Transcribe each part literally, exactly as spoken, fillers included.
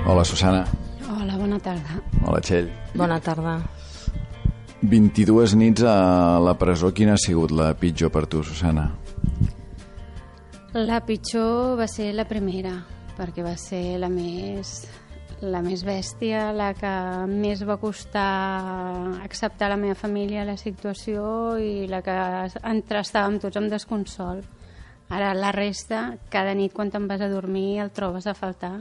Hola, Susana. Hola, bona tarda. Hola, Txell. Bona tarda. vint-i-dues nits a la presó. Quina ha sigut la pitjor per tu, Susana? La pitjor va ser la primera, perquè va ser la més, la més bèstia, la que més va costar acceptar la meva família, la situació, i la que entre estàvem tots amb desconsol. Ara, la resta, cada nit quan te'n vas a dormir el trobes a faltar,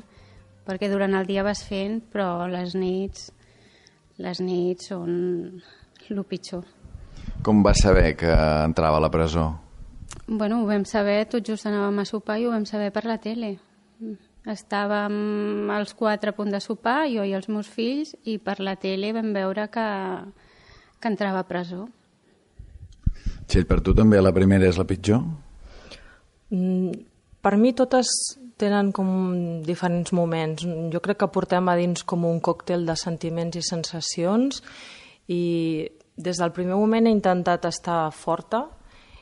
perquè durant el dia vas fent, però les nits, les nits són el pitjor. Com vas saber que entrava a la presó? Bueno, ho vam saber, tot just anàvem a sopar i ho vam saber per la tele. Estàvem els quatre a punt de sopar, jo i els meus fills, i per la tele vam veure que, que entrava a presó. Txell, per tu també la primera és la pitjor? Mm, per mi totes tenen com diferents moments. Jo crec que portem a dins com un còctel de sentiments i sensacions, i des del primer moment he intentat estar forta,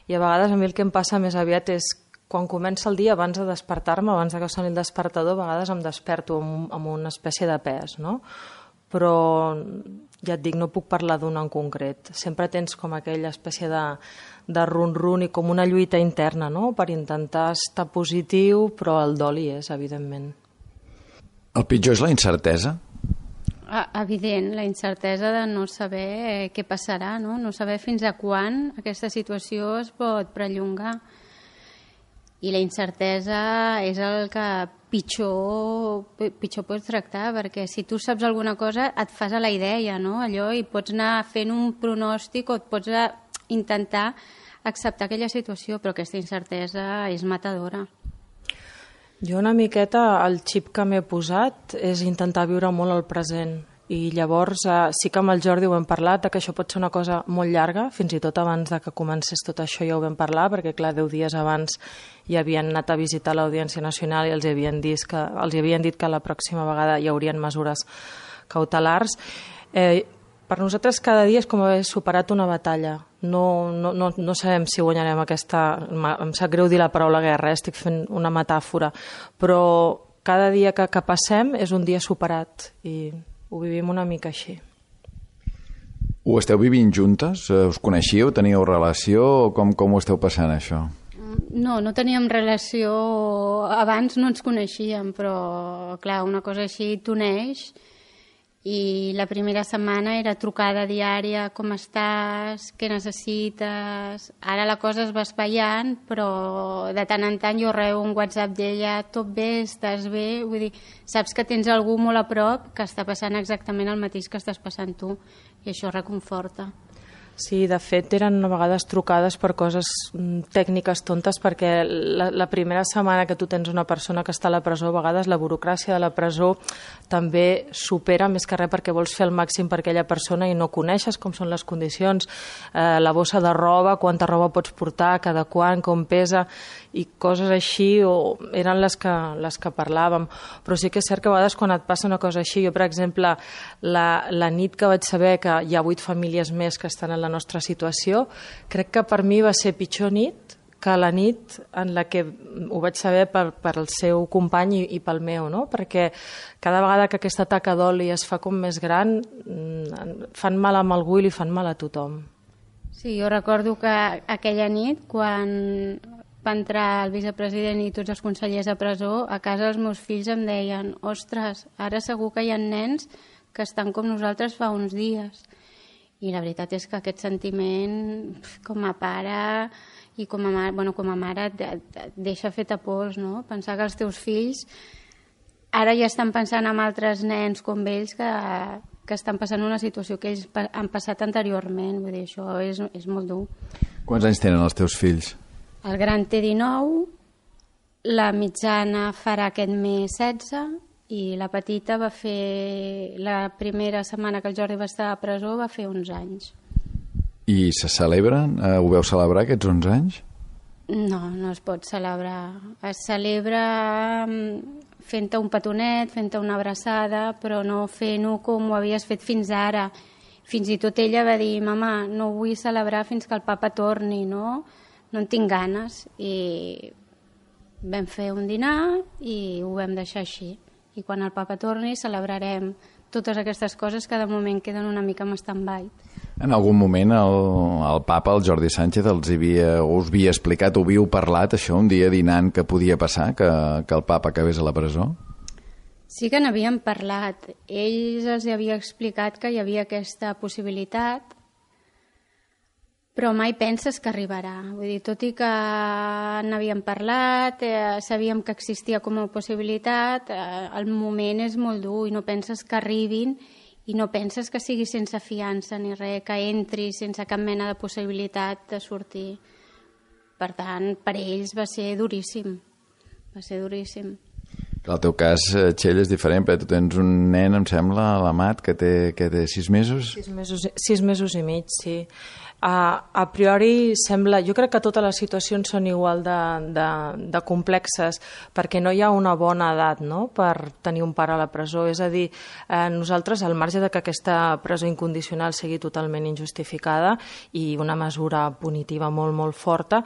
i a vegades a mi el que em passa més aviat és quan comença el dia, abans de despertar-me, abans que soni el despertador, a vegades em desperto amb, amb una espècie de pes, no? Però ja et dic, no puc parlar d'una en concret. Sempre tens com aquella espècie de, de run-run i com una lluita interna, no?, per intentar estar positiu, però el dol hi és, evidentment. El pitjor és la incertesa? Ah, evident, la incertesa de no saber eh, què passarà, no? No saber fins a quan aquesta situació es pot perllongar. I la incertesa és el que pitjor, pitjor pots tractar, perquè si tu saps alguna cosa et fas a la idea, no? Allò, i pots anar fent un pronòstic o et pots intentar acceptar aquella situació, però aquesta incertesa és matadora. Jo una miqueta el xip que m'he posat és intentar viure molt el present, i llavors eh, sí que amb el Jordi ho hem parlat, que això pot ser una cosa molt llarga, fins i tot abans de que comencés tot això ja ho vam parlar, perquè clar, deu dies abans ja havien anat a visitar l'Audiència Nacional i els havien dit que, els havien dit que la pròxima vegada hi haurien mesures cautelars. Eh, per nosaltres cada dia és com haver superat una batalla. No, no, no, no sabem si guanyarem aquesta... Em sap greu dir la paraula guerra, eh? Estic fent una metàfora, però cada dia que, que passem és un dia superat i ho vivim una mica així. Ho esteu vivint juntes? Us coneixíeu? Teníeu relació? Com, com ho esteu passant, això? No, no teníem relació... Abans no ens coneixíem, però clar, una cosa així t'uneix. I la primera setmana era trucada diària, com estàs, què necessites... Ara la cosa es va espaiant, però de tant en tant jo rebo un WhatsApp d'ella, tot bé, estàs bé... Vull dir, saps que tens algú molt a prop que està passant exactament el mateix que estàs passant tu, i això reconforta. Sí, de fet, eren a vegades trucades per coses tècniques tontes, perquè la, la primera setmana que tu tens una persona que està a la presó, a vegades la burocràcia de la presó també supera més que res perquè vols fer el màxim per aquella persona i no coneixes com són les condicions, eh, la bossa de roba, quanta roba pots portar, cada quan, com pesa, i coses així o eren les que, les que parlàvem. Però sí que és cert que a vegades quan et passa una cosa així, jo per exemple, la, la nit que vaig saber que hi ha vuit famílies més que estan en la nostra situació, crec que per mi va ser pitjor nit que la nit en la que ho vaig saber per, per el seu company i, i pel meu, no? Perquè cada vegada que aquesta taca d'oli es fa com més gran, fan mal amb algú i li fan mal a tothom. Sí, jo recordo que aquella nit, quan va entrar el vicepresident i tots els consellers a presó, a casa els meus fills em deien: ostres, ara segur que hi ha nens que estan com nosaltres fa uns dies. I la veritat és que aquest sentiment, com a pare i com a mare, bueno, com a mare et, et deixa fet a pols, no? Pensar que els teus fills ara ja estan pensant en altres nens com ells que, que estan passant una situació que ells han passat anteriorment. Vull dir, això és, és molt dur. Quants anys tenen els teus fills? El gran té dinou, la mitjana farà aquest mes setze, i la petita va fer, la primera setmana que el Jordi va estar a presó, va fer onze anys. I se celebren? Eh, ho veu celebrar, aquests onze anys? No, no es pot celebrar. Es celebra fent-te un petonet, fent-te una abraçada, però no fent-ho com ho havies fet fins ara. Fins i tot ella va dir: mama, no vull celebrar fins que el papa torni, no? No en tinc ganes. I vam fer un dinar i ho vam deixar així. i quan el papa torni celebrarem totes aquestes coses que de moment queden una mica en stand-by. En algun moment el, el papa, el Jordi Sánchez, els havia, us havia explicat, ho havíeu parlat, això, un dia dinant, que podia passar, que, que el papa acabés a la presó? Sí que n'havíem parlat. Ells els havia explicat que hi havia aquesta possibilitat, però mai penses que arribarà. Vull dir, tot i que n'havíem parlat, eh, sabíem que existia com a possibilitat, eh, el moment és molt dur i no penses que arribin i no penses que sigui sense fiança ni res, que entri sense cap mena de possibilitat de sortir. Per tant, per ells va ser duríssim. Va ser duríssim. El teu cas, Txell, és diferent, perquè tu tens un nen, em sembla, l'Amat, que té, que té sis mesos? Sis mesos, sis mesos i mig, sí. A, a priori sembla, jo crec que totes les situacions són igual de, de, de complexes, perquè no hi ha una bona edat, no?, per tenir un pare a la presó. És a dir, eh, nosaltres, al marge de que aquesta presó incondicional sigui totalment injustificada i una mesura punitiva molt, molt forta,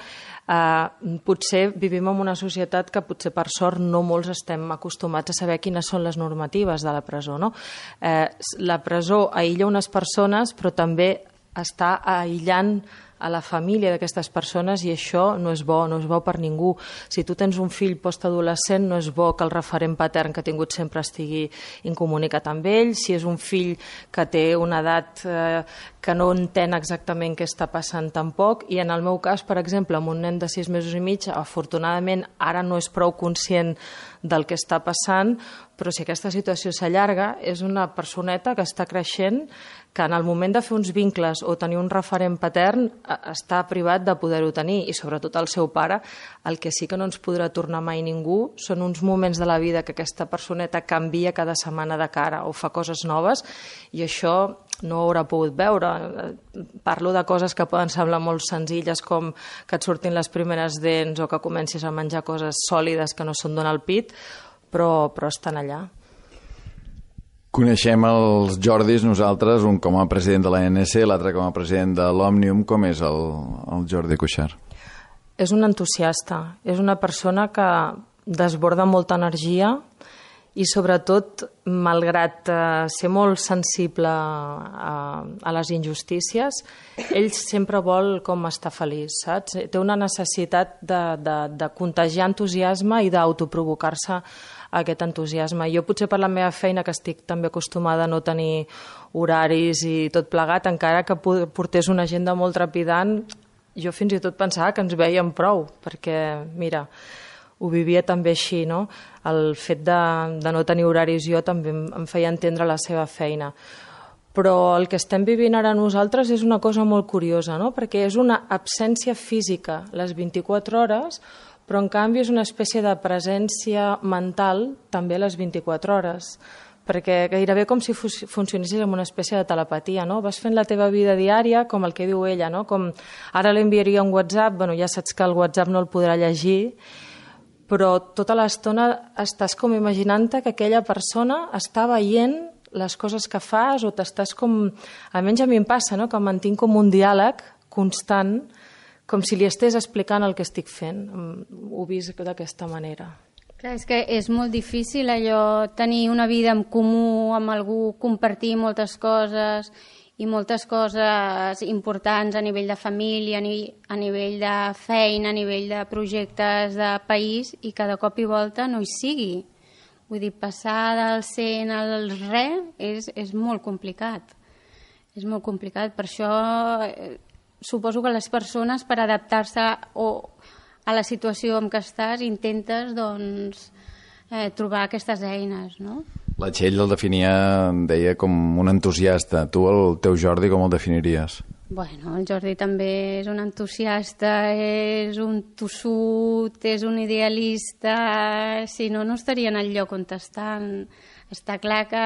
eh, potser vivim en una societat que potser per sort no molts estem acostumats a saber quines són les normatives de la presó, no? Eh, la presó aïlla unes persones, però també està aïllant a la família d'aquestes persones i això no és bo, no és bo per ningú. Si tu tens un fill postadolescent, no és bo que el referent patern que ha tingut sempre estigui incomunicat amb ell. Si és un fill que té una edat eh, que no entén exactament què està passant tampoc, i en el meu cas, per exemple, amb un nen de sis mesos i mig, afortunadament ara no és prou conscient del que està passant, però si aquesta situació s'allarga, és una personeta que està creixent, que en el moment de fer uns vincles o tenir un referent patern està privat de poder-ho tenir, i sobretot el seu pare. El que sí que no ens podrà tornar mai ningú són uns moments de la vida que aquesta personeta canvia cada setmana de cara o fa coses noves, i això no ho haurà pogut veure. Parlo de coses que poden semblar molt senzilles, com que et surtin les primeres dents o que comencis a menjar coses sòlides que no són donar el pit, però, però estan allà. Coneixem els Jordis nosaltres, un com a president de l'A N C, l'altre com a president de l'Òmnium. Com és el, el Jordi Cuixart? És un entusiasta, és una persona que desborda molta energia i sobretot, malgrat eh, ser molt sensible a, a les injustícies, ell sempre vol com estar feliç, saps? Té una necessitat de, de, de contagiar entusiasme i d'autoprovocar-se aquest entusiasme. Jo potser per la meva feina, que estic també acostumada a no tenir horaris i tot plegat, encara que portés una agenda molt trepidant, jo fins i tot pensava que ens veiem prou, perquè, mira, ho vivia també així, no? El fet de, de no tenir horaris jo també em, em feia entendre la seva feina. Però el que estem vivint ara nosaltres és una cosa molt curiosa, no? Perquè és una absència física les vint-i-quatre hores, però en canvi és una espècie de presència mental també a les vint-i-quatre hores, perquè gairebé com si funcionessis amb una espècie de telepatia, no? Vas fent la teva vida diària, com el que diu ella, no? Com ara li enviaria un WhatsApp, bueno, ja saps que el WhatsApp no el podrà llegir, però tota l'estona estàs com imaginant-te que aquella persona està veient les coses que fas, o t'estàs com... Almenys a mi em passa, no?, que mantinc com un diàleg constant, com si li estés explicant el que estic fent. Ho he vist d'aquesta manera. Clar, és que és molt difícil allò, tenir una vida en comú amb algú, compartir moltes coses i moltes coses importants a nivell de família, a nivell, a nivell de feina, a nivell de projectes de país, i cada cop i volta no hi sigui. Vull dir, passar del cent al res és, és molt complicat. És molt complicat. Per això eh, suposo que les persones, per adaptar-se o a la situació en què estàs, intentes doncs, eh, trobar aquestes eines, no? La Txell el definia, deia, com un entusiasta. Tu, el teu Jordi, com el definiries? Bueno, el Jordi també és un entusiasta, és un tossut, és un idealista. Si no, no estaria en el lloc on estan. Està clar que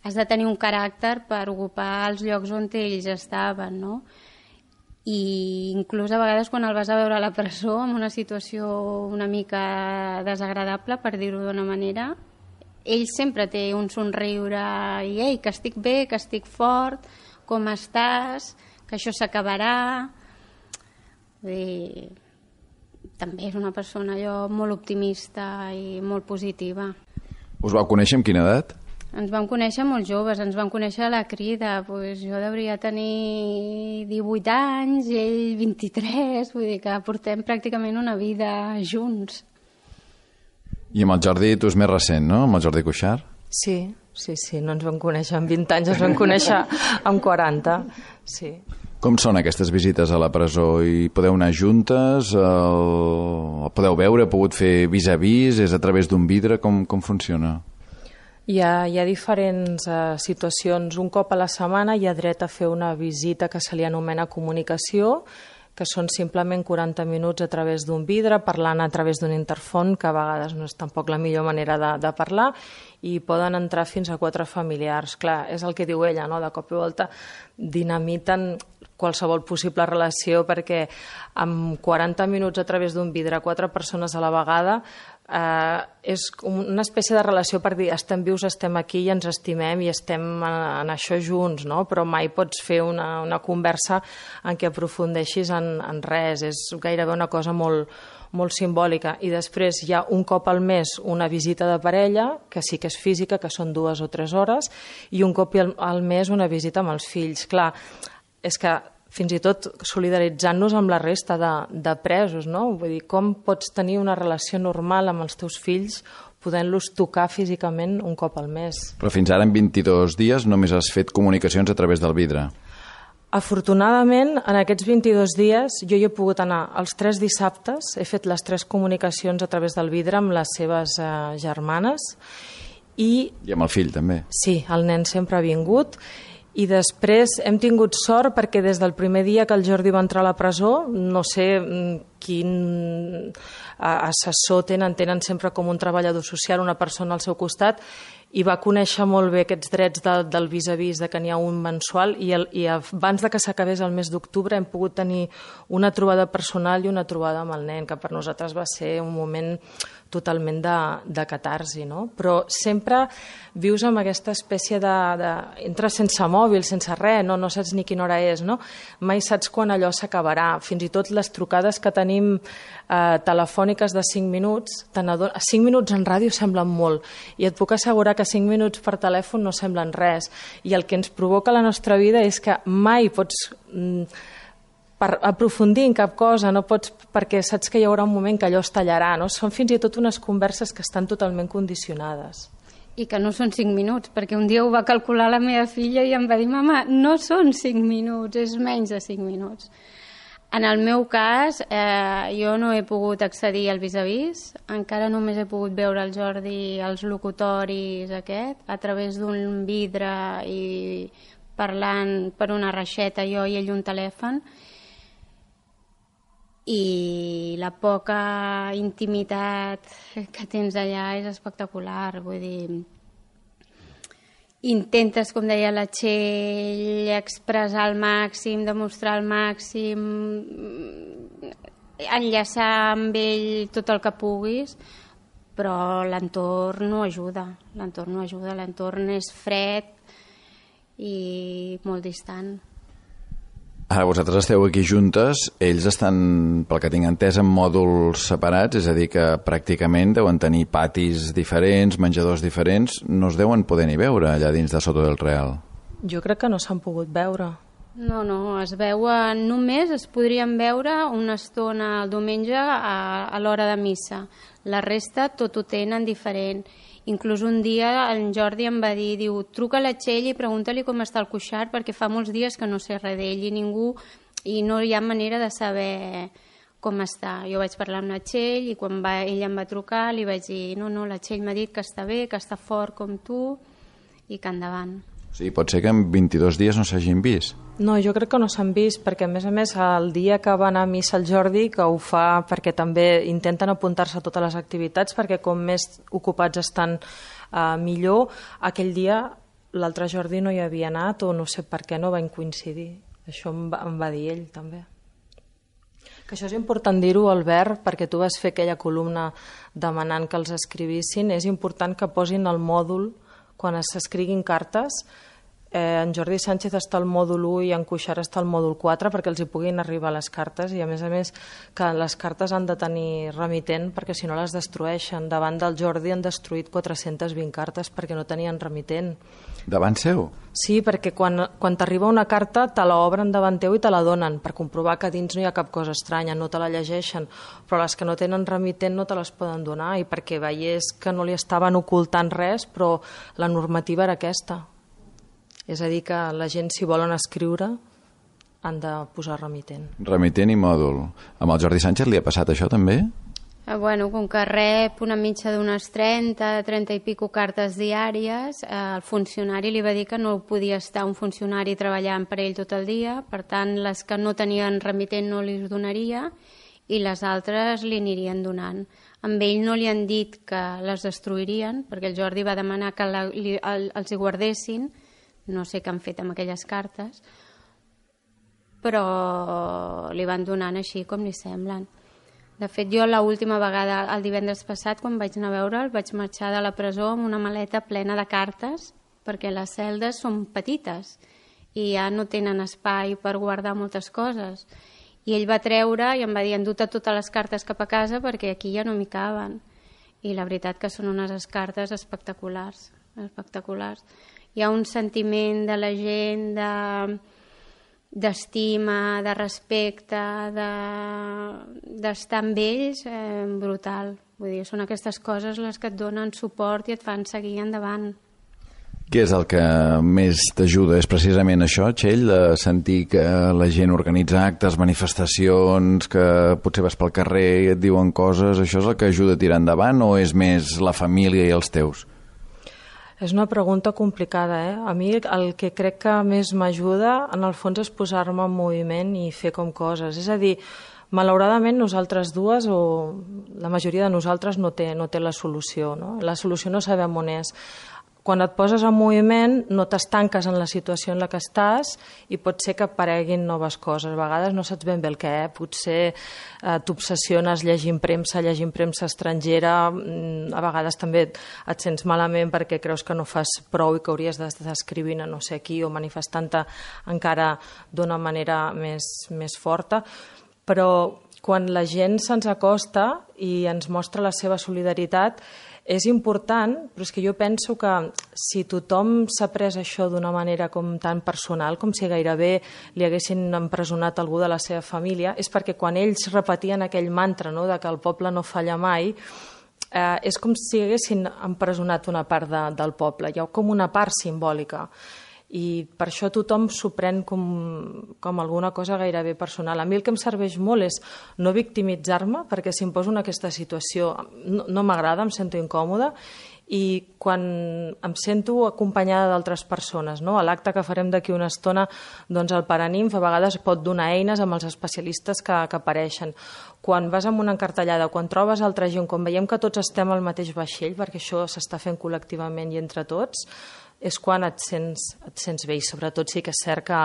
has de tenir un caràcter per ocupar els llocs on ells estaven, no? I inclús a vegades quan el vas a veure a la presó en una situació una mica desagradable, per dir-ho d'una manera, ell sempre té un somriure i ei, que estic bé, que estic fort, com estàs, que això s'acabarà. També és una persona allò molt optimista i molt positiva. Us vau conèixer amb quina edat? Ens vam conèixer molt joves, ens vam conèixer a la crida, pues jo devia tenir divuit anys i ell vint-i-tres, vull dir que portem pràcticament una vida junts. I amb el Jordi tu és més recent, no? Amb el Jordi Cuixart? Sí, sí, sí, no ens vam conèixer amb vint anys, ens vam conèixer amb quaranta, sí. Com són aquestes visites a la presó? I podeu anar juntes? El... el podeu veure? Heu pogut fer vis-a-vis? És a través d'un vidre? Com, com funciona? Hi ha, hi ha diferents uh, situacions. Un cop a la setmana hi ha dret a fer una visita que se li anomena comunicació, que són simplement quaranta minuts a través d'un vidre, parlant a través d'un interfon, que a vegades no és tampoc la millor manera de, de parlar, i poden entrar fins a quatre familiars. Clar, és el que diu ella, no? De cop i volta dinamiten qualsevol possible relació, perquè amb quaranta minuts a través d'un vidre, quatre persones a la vegada, eh, és una espècie de relació per dir estem vius, estem aquí i ens estimem i estem en, en això junts, no? Però mai pots fer una, una conversa en què aprofundeixis en, en res, és gairebé una cosa molt, molt simbòlica. I després hi ha un cop al mes una visita de parella, que sí que és física, que són dues o tres hores, i un cop al, al mes una visita amb els fills. Clar, és que fins i tot solidaritzant-nos amb la resta de, de presos, no? Vull dir, com pots tenir una relació normal amb els teus fills podent-los tocar físicament un cop al mes? Però fins ara en vint-i-dos dies només has fet comunicacions a través del vidre. Afortunadament, en aquests vint-i-dos dies jo hi he pogut anar els tres dissabtes, he fet les tres comunicacions a través del vidre amb les seves eh, germanes. I, I amb el fill també. Sí, el nen sempre ha vingut. I després hem tingut sort perquè des del primer dia que el Jordi va entrar a la presó, no sé quin assessor tenen, tenen sempre com un treballador social, una persona al seu costat, i va conèixer molt bé aquests drets de, del vis-a-vis, de que n'hi ha un mensual, i, el, i abans de que s'acabés el mes d'octubre hem pogut tenir una trobada personal i una trobada amb el nen, que per nosaltres va ser un moment totalment de, de catarsi, no? Però sempre vius amb aquesta espècie de, de... entres sense mòbil, sense res, no, no saps ni quina hora és, no? Mai saps quan allò s'acabarà. Fins i tot les trucades que tenim eh, telefòniques de cinc minuts, cinc minuts en ràdio semblen molt, i et puc assegurar que cinc minuts per telèfon no semblen res. I el que ens provoca la nostra vida és que mai pots... Mm, per aprofundir en cap cosa, no pots, perquè saps que hi haurà un moment que allò es tallarà, no? Són fins i tot unes converses que estan totalment condicionades. I que no són cinc minuts, perquè un dia ho va calcular la meva filla i em va dir, mama, no són cinc minuts, és menys de cinc minuts. En el meu cas, eh, jo no he pogut accedir al vis-a-vis, encara només he pogut veure el Jordi als locutoris aquest, a través d'un vidre i parlant per una reixeta, jo i ell un telèfon, i la poca intimitat que tens allà és espectacular, vull dir, intentes, com deia la Txell, expressar al màxim, demostrar al màxim, enllaçar amb ell tot el que puguis, però l'entorn no ajuda, l'entorn no ajuda, l'entorn és fred i molt distant. Ara vosaltres esteu aquí juntes, ells estan, pel que tinc entès, en mòduls separats, és a dir, que pràcticament deuen tenir patis diferents, menjadors diferents, no es deuen poder ni veure allà dins de Soto del Real. Jo crec que no s'han pogut veure. No, no, es veuen, només es podrien veure una estona el diumenge a, a l'hora de missa. La resta tot ho tenen diferent. Inclús un dia en Jordi em va dir, diu, truca a la Txell i pregunta-li com està el Cuixart, perquè fa molts dies que no sé res d'ell i ningú, i no hi ha manera de saber com està. Jo vaig parlar amb la Txell i quan va, ell em va trucar li vaig dir, no, no, la Txell m'ha dit que està bé, que està fort com tu i que endavant. O sigui, pot ser que en vint-i-dos dies no s'hagin vist? No, jo crec que no s'han vist, perquè a més a més el dia que va anar a missa el Jordi, que ho fa perquè també intenten apuntar-se a totes les activitats, perquè com més ocupats estan eh, millor, aquell dia l'altre Jordi no hi havia anat o no sé per què no van coincidir. Això em va, em va dir ell també. Que això és important dir-ho, Albert, perquè tu vas fer aquella columna demanant que els escrivissin. És important que posin el mòdul quan s'escriguin cartes, eh, en Jordi Sánchez està al mòdul u i en Cuixart està al mòdul quatre perquè els hi puguin arribar les cartes, i a més a més que les cartes han de tenir remitent perquè si no les destrueixen. Davant del Jordi han destruït quatre-centes vint cartes perquè no tenien remitent. Davant seu? Sí, perquè quan, quan t'arriba una carta te l'obren davant teu i te la donen per comprovar que dins no hi ha cap cosa estranya, no te la llegeixen, però les que no tenen remitent no te les poden donar, i perquè veiés que no li estaven ocultant res, però la normativa era aquesta. És a dir, que la gent, si volen escriure, han de posar remitent. Remitent i mòdul. Amb el Jordi Sánchez li ha passat això també? Eh, bueno, com que rep una mitja d'unes trenta, trenta i pico cartes diàries, eh, el funcionari li va dir que no podia estar un funcionari treballant per ell tot el dia, per tant, les que no tenien remitent no li donaria i les altres li anirien donant. Amb ell no li han dit que les destruirien, perquè el Jordi va demanar que la, li, el, els hi guardessin. No sé què han fet amb aquelles cartes, però li van donant així com li semblen. De fet, jo l'última vegada, el divendres passat, quan vaig anar a veure'l, vaig marxar de la presó amb una maleta plena de cartes, perquè les celdes són petites i ja no tenen espai per guardar moltes coses. I ell va treure i em va dir, endut totes les cartes cap a casa perquè aquí ja no m'hi caben. I la veritat que són unes cartes espectaculars, espectaculars. Hi ha un sentiment de la gent d'estima, de respecte, d'estar amb ells eh, brutal. Vull dir, són aquestes coses les que et donen suport i et fan seguir endavant. Què és el que més t'ajuda? És precisament això, Txell, de sentir que la gent organitza actes, manifestacions, que potser vas pel carrer i et diuen coses, això és el que ajuda a tirar endavant o és més la família i els teus? És una pregunta complicada, eh? A mi el que crec que més m'ajuda, en el fons, és posar-me en moviment i fer com coses. És a dir, malauradament nosaltres dues, o la majoria de nosaltres, no té, no té la solució, no? La solució no sabem on és. Quan et poses en moviment no t'estanques en la situació en la que estàs i pot ser que apareguin noves coses. A vegades no saps ben bé el què, eh? Potser eh, t'obsessiones llegint premsa, llegint premsa estrangera, a vegades també et sents malament perquè creus que no fas prou i que hauries d'estar escrivint a no sé qui o manifestant-te encara d'una manera més, més forta, però quan la gent se'ns acosta i ens mostra la seva solidaritat és important, però és que jo penso que si tothom s'ha pres això d'una manera com tan personal, com si gairebé li haguessin empresonat algú de la seva família, és perquè quan ells repetien aquell mantra, no?, de que el poble no falla mai, eh, és com si haguessin empresonat una part de, del poble. Hi ha com una part simbòlica. I per això tothom s'ho pren com, com alguna cosa gairebé personal. A mi el que em serveix molt és no victimitzar-me, perquè si em poso en aquesta situació no, no m'agrada, em sento incòmoda, i quan em sento acompanyada d'altres persones, no? A l'acte que farem d'aquí una estona, doncs el Paraninf a vegades pot donar eines amb els especialistes que, que apareixen. Quan vas amb una encartellada, quan trobes altra gent, quan veiem que tots estem al mateix vaixell, perquè això s'està fent col·lectivament i entre tots, és quan et sents, et sents bé, i sobretot sí que és cert que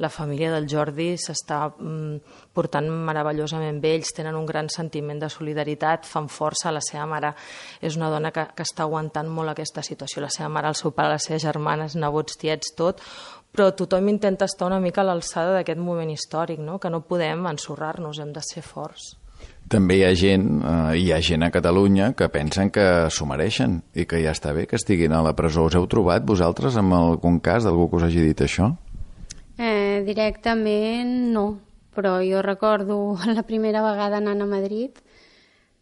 la família del Jordi s'està mm, portant meravellosament bé, ells tenen un gran sentiment de solidaritat, fan força. La seva mare és una dona que, que està aguantant molt aquesta situació, la seva mare, el seu pare, les seves germanes, nebots, tiets, tot, però tothom intenta estar una mica a l'alçada d'aquest moment històric, no? Que no podem ensorrar-nos, hem de ser forts. També hi ha gent, eh, hi ha gent a Catalunya que pensen que s'ho mereixen i que ja està bé que estiguin a la presó. Us heu trobat vosaltres amb algun cas d'algú que us hagi dit això? Eh, directament no, però jo recordo la primera vegada anant a Madrid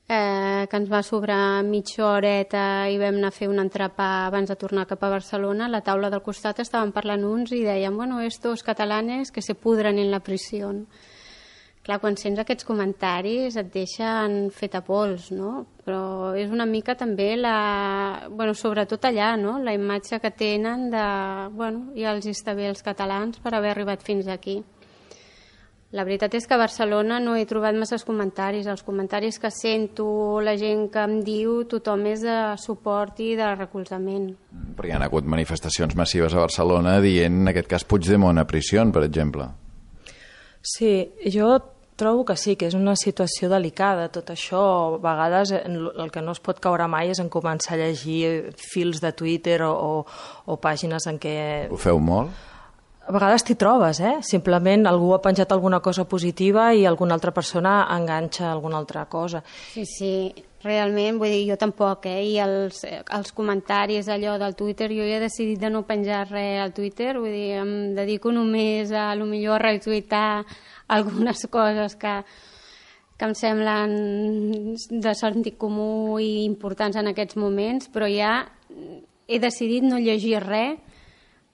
eh, que ens va sobrar mitja horeta i vam anar a fer un entrepà abans de tornar cap a Barcelona. A la taula del costat estaven parlant uns i deien, bueno, estos catalanes que se pudran en la prisión. Clar, quan sents aquests comentaris et deixen fet a pols, no? Però és una mica també la... Bueno, sobretot allà, no? La imatge que tenen de... Bueno, ja els està bé els catalans per haver arribat fins aquí. La veritat és que a Barcelona no he trobat masses comentaris. Els comentaris que sento, la gent que em diu, tothom és de suport i de recolzament. Però hi ha hagut manifestacions massives a Barcelona dient, en aquest cas, Puigdemont a presó, per exemple. Sí, jo Trobo que sí, que és una situació delicada. Tot això, a vegades, el que no es pot caure mai és en començar a llegir fils de Twitter o, o, o pàgines en què... Ho feu molt? A vegades t'hi trobes, eh? Simplement algú ha penjat alguna cosa positiva i alguna altra persona enganxa alguna altra cosa. Sí, sí, realment, vull dir, jo tampoc, eh? I els, els comentaris allò del Twitter, jo ja he decidit de no penjar res al Twitter, vull dir, em dedico només a, a lo millor a retuitar algunes coses que, que em semblen de sentit comú i importants en aquests moments, però ja he decidit no llegir res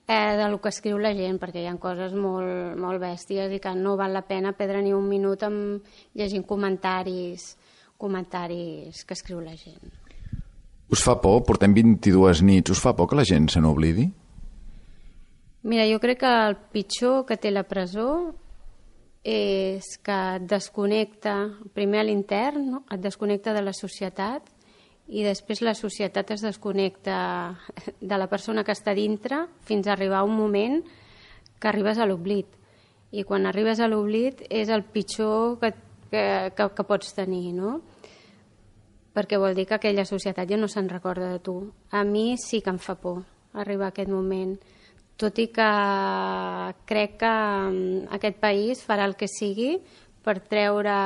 Eh, del que escriu la gent, perquè hi ha coses molt, molt bèsties i que no val la pena perdre ni un minut amb llegint comentaris, comentaris que escriu la gent. Us fa por? Portem vint-i-dues nits. Us fa por que la gent se n'oblidi? Mira, jo crec que el pitjor que té la presó és que et desconnecta, primer a l'intern, no? Et desconnecta de la societat i després la societat es desconnecta de la persona que està dintre fins a arribar a un moment que arribes a l'oblit. I quan arribes a l'oblit és el pitjor que, que, que, que pots tenir, no? Perquè vol dir que aquella societat ja no se'n recorda de tu. A mi sí que em fa por arribar a aquest moment, tot i que crec que aquest país farà el que sigui per treure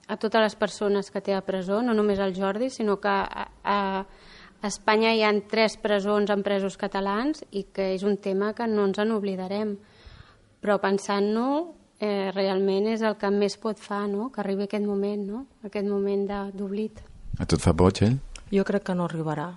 a totes les persones que té a presó, no només el Jordi, sinó que a, a Espanya hi ha tres presons amb presos catalans i que és un tema que no ens en oblidarem. Però pensant-no, eh, realment és el que més pot fa, no? Que arribi aquest moment, no? Aquest moment d'oblit. A tu et fa por, Txell? Jo crec que no arribarà.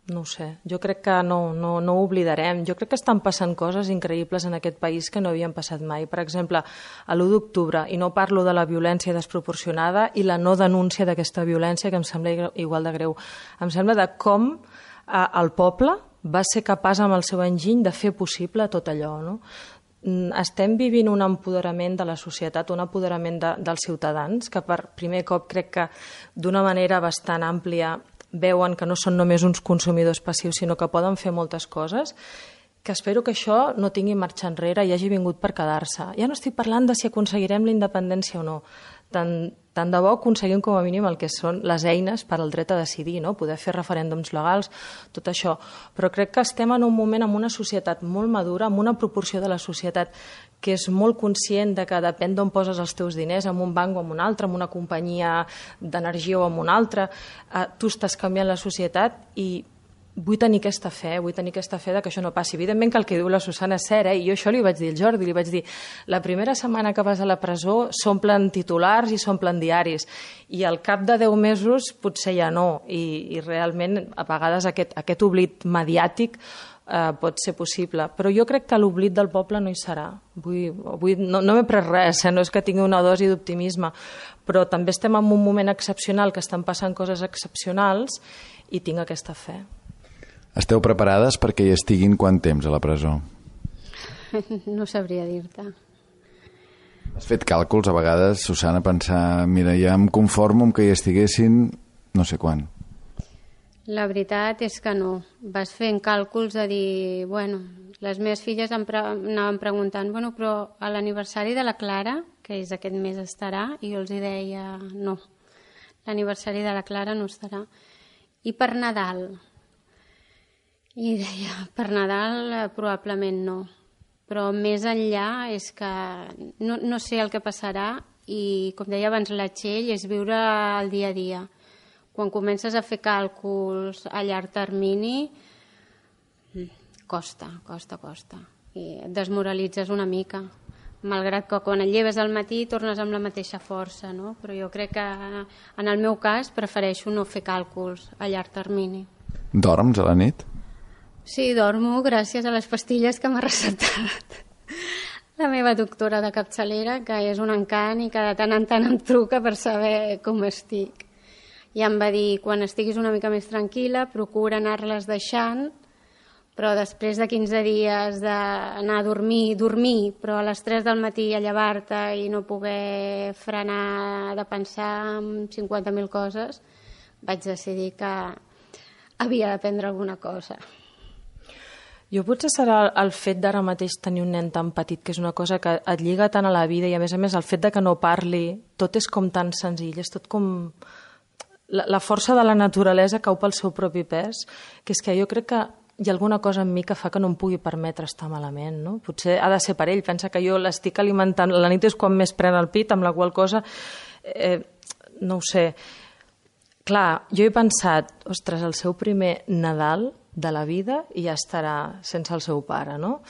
No ho sé, jo crec que no, no, no ho oblidarem. Jo crec que estan passant coses increïbles en aquest país que no havien passat mai. Per exemple, a l'u d'octubre, i no parlo de la violència desproporcionada i la no denúncia d'aquesta violència, que em sembla igual de greu. Em sembla de com eh, el poble va ser capaç amb el seu enginy de fer possible tot allò, no? Estem vivint un empoderament de la societat, un empoderament de, dels ciutadans, que per primer cop crec que d'una manera bastant àmplia veuen que no són només uns consumidors passius, sinó que poden fer moltes coses, que espero que això no tingui marxa enrere i hagi vingut per quedar-se. Ja no estic parlant de si aconseguirem la independència o no. Tant, tant de bo aconseguim com a mínim el que són les eines per al dret a decidir, no? Poder fer referèndums legals, tot això. Però crec que estem en un moment amb una societat molt madura, amb una proporció de la societat que és molt conscient de que depèn d'on poses els teus diners, en un banc o en un altre, en una companyia d'energia o en una altra, eh, tu estàs canviant la societat i vull tenir aquesta fe, vull tenir aquesta fe de que això no passi. Evidentment que el que diu la Susana és cert, eh? I jo això li vaig dir al Jordi, li vaig dir, la primera setmana que vas a la presó s'omplen titulars i s'omplen diaris, i al cap de deu mesos potser ja no, i, i realment a vegades aquest, aquest oblit mediàtic eh, pot ser possible, però jo crec que l'oblit del poble no hi serà. Vull, vull, no no m'he pres res, eh? No és que tingui una dosi d'optimisme, però també estem en un moment excepcional, que estan passant coses excepcionals, i tinc aquesta fe. Esteu preparades perquè hi estiguin quant temps a la presó? No sabria dir-te. Has fet càlculs a vegades, Susana, pensar, mira, ja em conformo amb que hi estiguessin no sé quan. La veritat és que no. Vas fent càlculs de dir, bueno, les meves filles em pre anaven preguntant, bueno, però a l'aniversari de la Clara, que és aquest mes estarà, i jo els hi deia, no, l'aniversari de la Clara no estarà. I per Nadal? I deia, per Nadal eh, probablement no, però més enllà és que no, no sé el que passarà i, com deia abans la Txell, és viure el dia a dia. Quan comences a fer càlculs a llarg termini, costa, costa, costa. I et desmoralitzes una mica, malgrat que quan et lleves al matí tornes amb la mateixa força, no? Però jo crec que en el meu cas prefereixo no fer càlculs a llarg termini. Dorms a la nit? Sí, dormo gràcies a les pastilles que m'ha recetat la meva doctora de capçalera, que és un encant i que de tant en tant em truca per saber com estic. I em va dir, quan estiguis una mica més tranquil·la, procura anar-les deixant, però després de quinze dies d'anar a dormir, dormir, però a les tres del matí a llevar-te i no poder frenar de pensar en cinquanta mil coses, vaig decidir que havia de prendre alguna cosa. Jo potser serà el fet d'ara mateix tenir un nen tan petit, que és una cosa que et lliga tant a la vida, i a més a més el fet de que no parli, tot és com tan senzill, és tot com... La, la força de la naturalesa cau pel seu propi pes, que és que jo crec que hi ha alguna cosa en mi que fa que no em pugui permetre estar malament, no? Potser ha de ser per ell, pensa que jo l'estic alimentant, la nit és quan més pren el pit, amb la qual cosa, eh, no ho sé. Clar, jo he pensat, ostres, el seu primer Nadal de la vida i ja estarà sense el seu pare, no?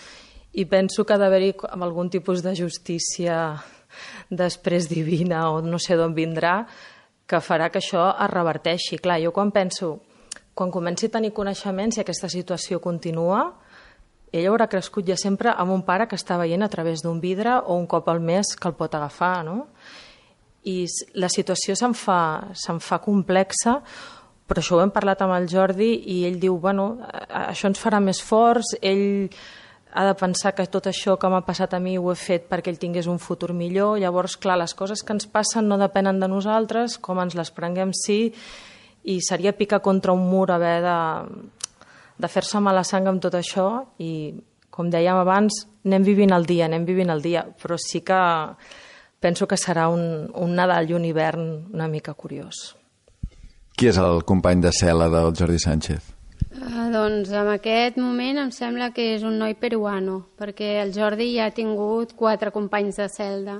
I penso que ha d'haver-hi algun tipus de justícia després divina o no sé d'on vindrà que farà que això es reverteixi. Clar, jo quan penso, quan comenci a tenir coneixements i aquesta situació continua, ell haurà crescut ja sempre amb un pare que està veient a través d'un vidre o un cop al mes que el pot agafar, no? I la situació se'n fa, se'n fa complexa, però això ho hem parlat amb el Jordi i ell diu, bueno, això ens farà més forts, ell ha de pensar que tot això que m'ha passat a mi ho he fet perquè ell tingués un futur millor. Llavors, clar, les coses que ens passen no depenen de nosaltres, com ens les prenguem sí, i seria picar contra un mur haver de, de fer-se mala sang amb tot això i, com dèiem abans, anem vivint el dia, anem vivint el dia, però sí que penso que serà un, un Nadal i un hivern una mica curiós. Qui és el company de cel·la del Jordi Sánchez? Uh, doncs en aquest moment em sembla que és un noi peruano, perquè el Jordi ja ha tingut quatre companys de celda.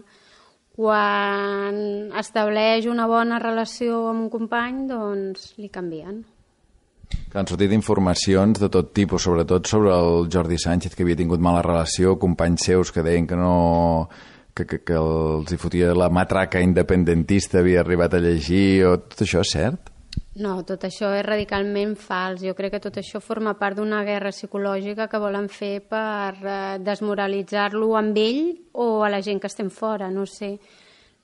Quan estableix una bona relació amb un company, doncs li canvien. Han sortit informacions de tot tipus, sobretot sobre el Jordi Sánchez, que havia tingut mala relació, companys seus que deien que no... que, que, que els hi fotia la matraca independentista, havia arribat a llegir, o tot això és cert? No, tot això és radicalment fals. Jo crec que tot això forma part d'una guerra psicològica que volen fer per eh, desmoralitzar-lo amb ell o a la gent que estem fora, no sé.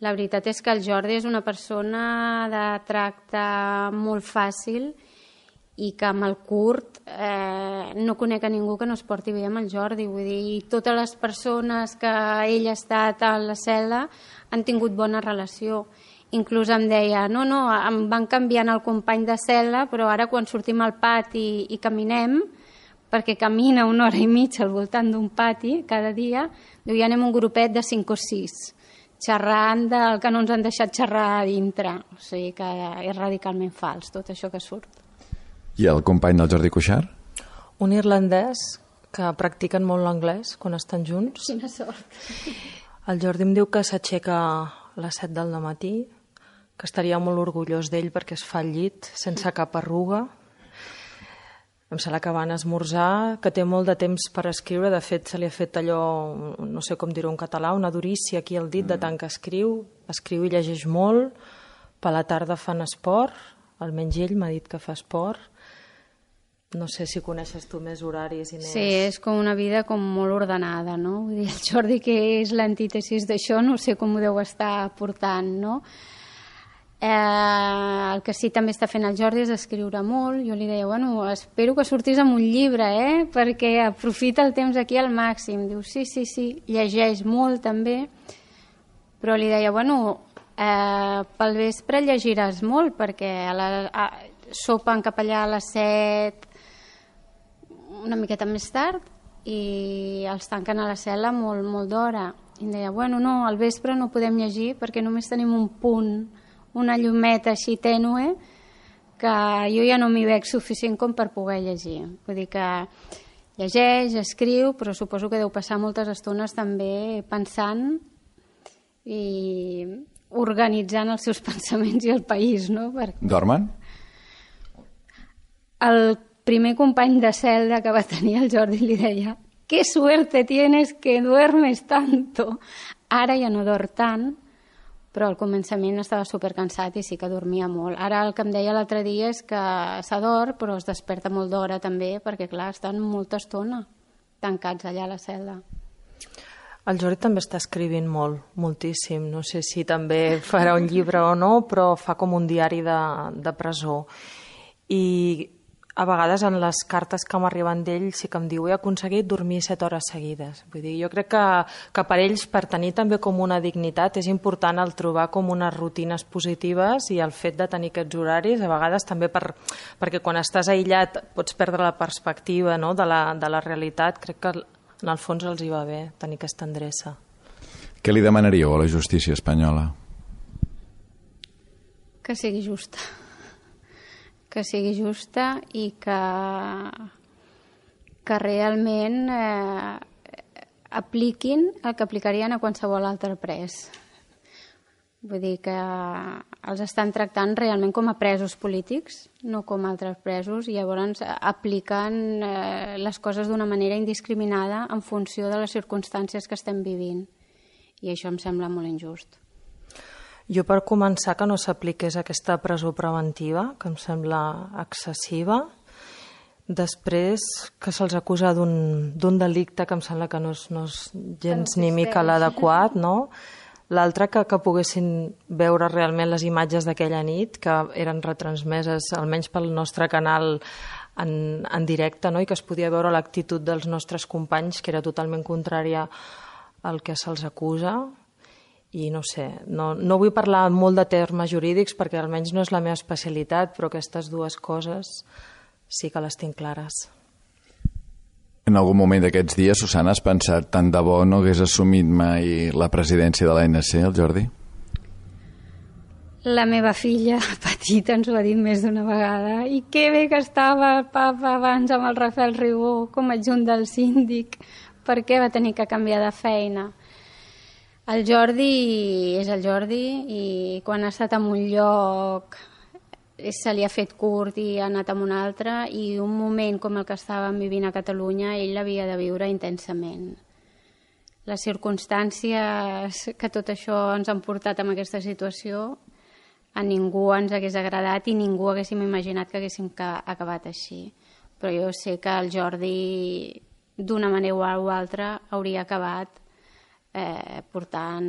La veritat és que el Jordi és una persona de tracte molt fàcil i que amb el Kurt eh, no conec a ningú que no es porti bé amb el Jordi. Vull dir, totes les persones que ell ha estat a la cel·la han tingut bona relació. Inclús em deia, no, no, em van canviant el company de cel·la, però ara quan sortim al pati i caminem, perquè camina una hora i mitja al voltant d'un pati cada dia, diu, ja anem un grupet de cinc o sis, xerrant del que no ens han deixat xerrar a dintre. O sigui que és radicalment fals tot això que surt. I el company del Jordi Cuixart? Un irlandès que practiquen molt l'anglès quan estan junts. Quina sort. El Jordi em diu que s'aixeca a les set del matí, que estaria molt orgullós d'ell perquè es fa al llit sense cap arruga. Em sembla que van esmorzar, que té molt de temps per escriure. De fet, se li ha fet allò, no sé com dir-ho en català, una durícia aquí al dit de tant que escriu. Escriu i llegeix molt. Per la tarda fan esport, almenys ell m'ha dit que fa esport. No sé si coneixes tu més horaris, Inés. Sí, és com una vida com molt ordenada, no? Vull dir, el Jordi, que és l'antítesis d'això, no sé com ho deu estar portant, no? Eh, el que sí també està fent el Jordi és escriure molt. Jo li deia, bueno, espero que sortis amb un llibre, eh? Perquè aprofita el temps aquí al màxim. Diu, sí, sí, sí, llegeix molt també, però li deia, bueno, eh, pel vespre llegiràs molt, perquè a la, a, sopen cap allà a les set, una miqueta més tard, i els tanquen a la cel·la molt, molt d'hora. I em deia, bueno, no, al vespre no podem llegir perquè només tenim un punt, una llumeta així tènue, que jo ja no m'hi veig suficient com per poder llegir. Vull dir que llegeix, escriu, però suposo que deu passar moltes estones també pensant i organitzant els seus pensaments i el país, no? Perquè... Dormen? El primer company de celda que va tenir el Jordi li deia, «Qué suerte tienes que duermes tanto!» Ara ja no dorm tant, però al començament estava supercansat i sí que dormia molt. Ara el que em deia l'altre dia és que s'adorm, però es desperta molt d'hora també, perquè clar, estan molta estona tancats allà a la celda. El Jordi també està escrivint molt, moltíssim. No sé si també farà un llibre o no, però fa com un diari de, de presó. I a vegades en les cartes que m'arriben d'ell sí que em diu he aconseguit dormir set hores seguides. Vull dir, jo crec que, que per ells, per tenir també com una dignitat, és important el trobar com unes rutines positives i el fet de tenir aquests horaris, a vegades també per, perquè quan estàs aïllat pots perdre la perspectiva, no?, de, la, de la realitat. Crec que en el fons els hi va bé tenir aquesta endreça. Què li demanaríeu a la justícia espanyola? Que sigui justa. que sigui justa i que, que realment eh, apliquin el que aplicarien a qualsevol altre pres. Vull dir que els estan tractant realment com a presos polítics, no com altres presos, i llavors apliquen eh, les coses d'una manera indiscriminada en funció de les circumstàncies que estem vivint. I això em sembla molt injust. Jo, per començar, que no s'apliqués aquesta presó preventiva, que em sembla excessiva. Després, que se'ls acusa d'un delicte que em sembla que no és, no és gens ni mica l'adequat, no? L'altre, que, que poguessin veure realment les imatges d'aquella nit, que eren retransmeses, almenys pel nostre canal, en, en directe, no? I que es podia veure l'actitud dels nostres companys, que era totalment contrària al que se'ls acusa. I no sé, no, no vull parlar molt de termes jurídics perquè almenys no és la meva especialitat, però aquestes dues coses sí que les tinc clares. En algun moment d'aquests dies, Susana, has pensat tant de bo no hagués assumit mai la presidència de l'A N C, el Jordi? La meva filla petita ens ho ha dit més d'una vegada. I que bé que estava el papa abans amb el Rafael Ribó com a adjunt del síndic. Per què va tenir que canviar de feina? El Jordi és el Jordi i quan ha estat en un lloc se li ha fet curt i ha anat a un altre, i un moment com el que estàvem vivint a Catalunya ell l'havia de viure intensament. Les circumstàncies que tot això ens han portat en aquesta situació a ningú ens hagués agradat i ningú haguéssim imaginat que haguéssim acabat així. Però jo sé que el Jordi d'una manera o altra hauria acabat Eh, portant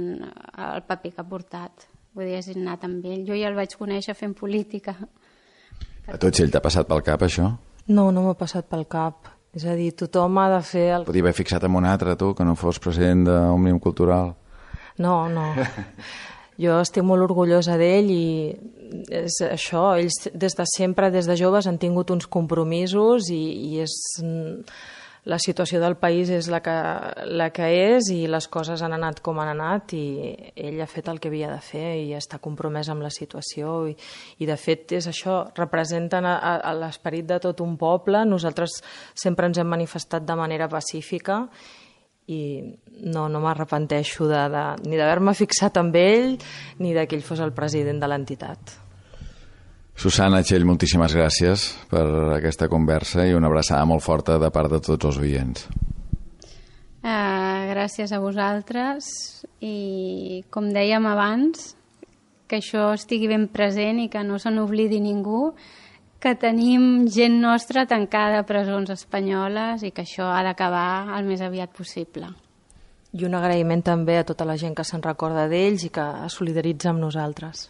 el paper que ha portat. Vull dir, és innat amb ell. Jo ja el vaig conèixer fent política. A tot si ell t'ha passat pel cap, això? No, no m'ha passat pel cap. És a dir, tothom ha de fer... El... Podia haver fixat en un altre, tu, que no fos president d'Òmnium Cultural. No, no. Jo estic molt orgullosa d'ell i és això, ells des de sempre, des de joves, han tingut uns compromisos i, i és... La situació del país és la que, la que és i les coses han anat com han anat i ell ha fet el que havia de fer i està compromès amb la situació i, i de fet és això, representen a, a l'esperit de tot un poble. Nosaltres sempre ens hem manifestat de manera pacífica i no, no m'arrepenteixo de, de, ni d'haver-me fixat amb ell ni de que ell fos el president de l'entitat. Susana Txell, moltíssimes gràcies per aquesta conversa i una abraçada molt forta de part de tots els oients. Uh, gràcies a vosaltres i, com dèiem abans, que això estigui ben present i que no se n'oblidi ningú, que tenim gent nostra tancada a presons espanyoles i que això ha d'acabar el més aviat possible. I un agraïment també a tota la gent que se'n recorda d'ells i que es solidaritza amb nosaltres.